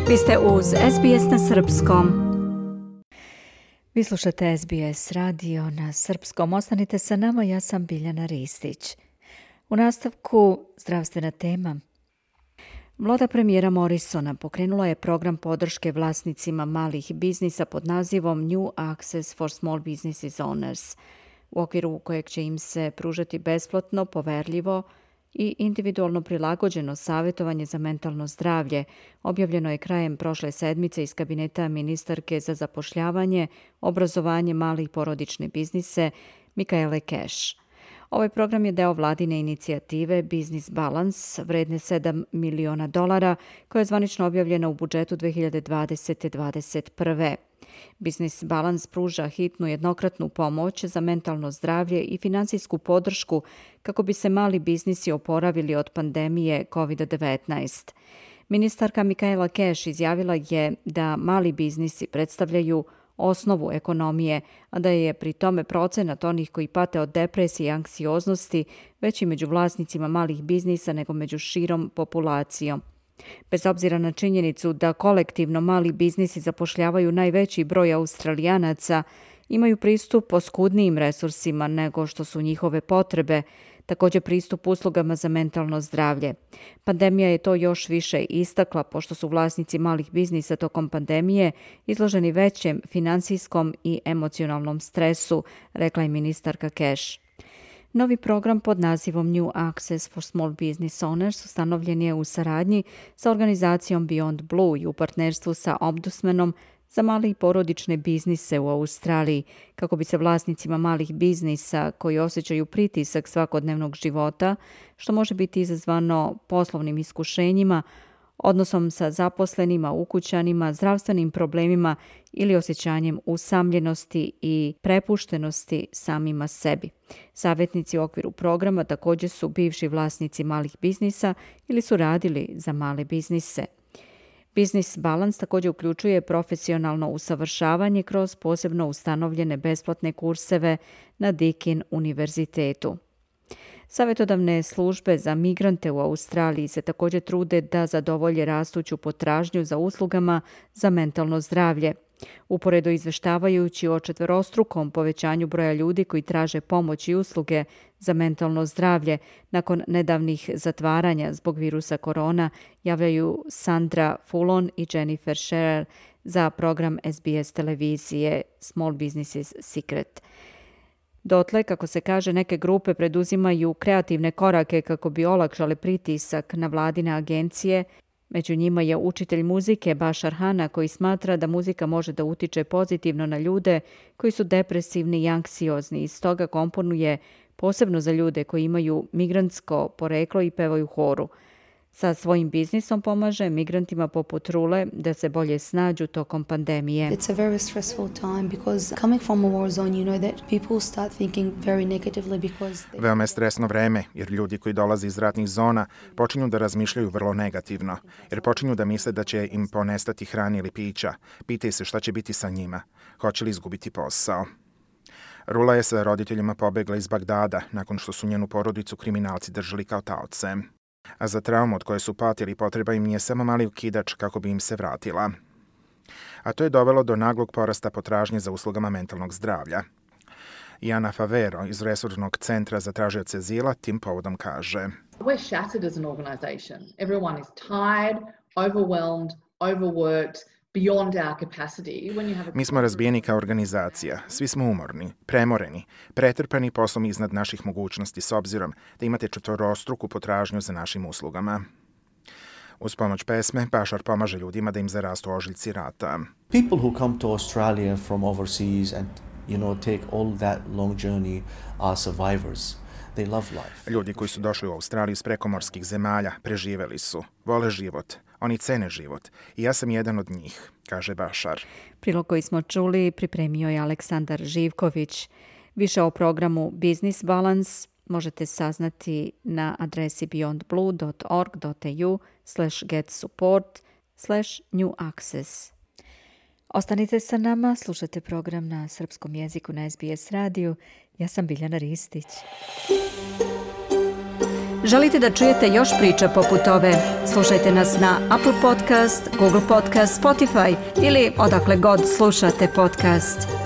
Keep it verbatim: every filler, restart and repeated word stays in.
Vi ste uz S B S na srpskom. Vi slušate S B S radio na srpskom. Ostanite sa nama, ja sam Biljana Ristić. U nastavku zdravstvena tema. Vlada premijera Morrisona pokrenula je program podrške vlasnicima malih biznisa pod nazivom New Access for Small Businesses Owners, u okviru kojeg će im se pružati besplatno, poverljivo i individualno prilagođeno savjetovanje za mentalno zdravlje. Objavljeno je krajem prošle sedmice iz kabineta ministarke za zapošljavanje, obrazovanje, male i porodične biznise Michaele Cash. Ovaj program je deo vladine inicijative Business Balance, vredne sedam miliona dolara, koja je zvanično objavljena u budžetu dve hiljade dvadesete do dvadeset prve. Business Balance pruža hitnu jednokratnu pomoć za mentalno zdravlje i finansijsku podršku kako bi se mali biznisi oporavili od pandemije kovid devetnaest. Ministarka Michaela Cash izjavila je da mali biznisi predstavljaju osnovu ekonomije, a da je pri tome procenat onih koji pate od depresije i anksioznosti veći među vlasnicima malih biznisa nego među širom populacijom. Bez obzira na činjenicu da kolektivno mali biznisi zapošljavaju najveći broj Australijanaca, imaju pristup oskudnijim resursima nego što su njihove potrebe, također pristup uslugama za mentalno zdravlje. Pandemija je to još više istakla, pošto su vlasnici malih biznisa tokom pandemije izloženi većem finansijskom i emocionalnom stresu, rekla je ministarka Cash. Novi program pod nazivom New Access for Small Business Owners ustanovljen je u saradnji sa organizacijom Beyond Blue i u partnerstvu sa Ombudsmanom za male i porodične biznise u Australiji, kako bi se vlasnicima malih biznisa koji osjećaju pritisak svakodnevnog života, što može biti izazvano poslovnim iskušenjima, odnosom sa zaposlenima, ukućanima, zdravstvenim problemima ili osjećanjem usamljenosti i prepuštenosti samima sebi. Savjetnici u okviru programa također su bivši vlasnici malih biznisa ili su radili za male biznise. Business Balance također uključuje profesionalno usavršavanje kroz posebno ustanovljene besplatne kurseve na Deakin univerzitetu. Savjetodavne službe za migrante u Australiji se također trude da zadovolje rastuću potražnju za uslugama za mentalno zdravlje. Uporedo izveštavajući o četverostrukom povećanju broja ljudi koji traže pomoć i usluge za mentalno zdravlje nakon nedavnih zatvaranja zbog virusa korona, javljaju Sandra Fulon i Jennifer Scherer za program S B S televizije Small Businesses Secret. Dotle, kako se kaže, neke grupe preduzimaju kreativne korake kako bi olakšale pritisak na vladine agencije. Među njima je učitelj muzike Bashar Hanna, koji smatra da muzika može da utiče pozitivno na ljude koji su depresivni i anksiozni i stoga komponuje posebno za ljude koji imaju migrantsko poreklo i pevaju u horu. Sa svojim biznisom pomaže migrantima poput Rule da se bolje snađu tokom pandemije. It's a very stressful time because coming from a war zone, you know that people start thinking very negatively because they... Veoma je stresno vreme, jer ljudi koji dolaze iz ratnih zona počinju da razmišljaju vrlo negativno, jer počinju da misle da će im ponestati hrane ili pića. Pitaju se šta će biti sa njima, hoće li izgubiti posao. Rula je sa roditeljima pobegla iz Bagdada nakon što su njenu porodicu kriminalci držali kao taoce. A za traumu od koje su patili potreba im nije samo mali ukidač kako bi im se vratila. A to je dovelo do naglog porasta potražnje za uslugama mentalnog zdravlja. Jana Favero iz Resornog centra za tražioce azila tim povodom kaže: We're shattered as an organization. Everyone is tired, overwhelmed, overworked, beyond our capacity. When you have a... Mi smo razbijeni kao organizacija, svi smo umorni, premoreni, pretrpani poslom iznad naših mogućnosti s obzirom da imate četvorostruku potražnju za našim uslugama. Uz pomoć pesme, Bashar pomaže ljudima da im zarastu ožiljci rata. People who come to Australia from overseas and, you know, take all that long journey are survivors. They love life. Ljudi koji su došli u Australiju iz prekomorskih zemalja preživeli su, vole život, oni cene život i ja sam jedan od njih, kaže Bashar. Prilog koji smo čuli pripremio je Aleksandar Živković. Više o programu Business Balance možete saznati na adresi beyond blue dot org dot a u slash get support slash new access. Ostanite sa nama, slušate program na srpskom jeziku na S B S radiju. Ja sam Biljana Ristić. Želite da čujete još priča poput ove? Slušajte nas na Apple Podcast, Google Podcast, Spotify ili odakle god slušate podcast.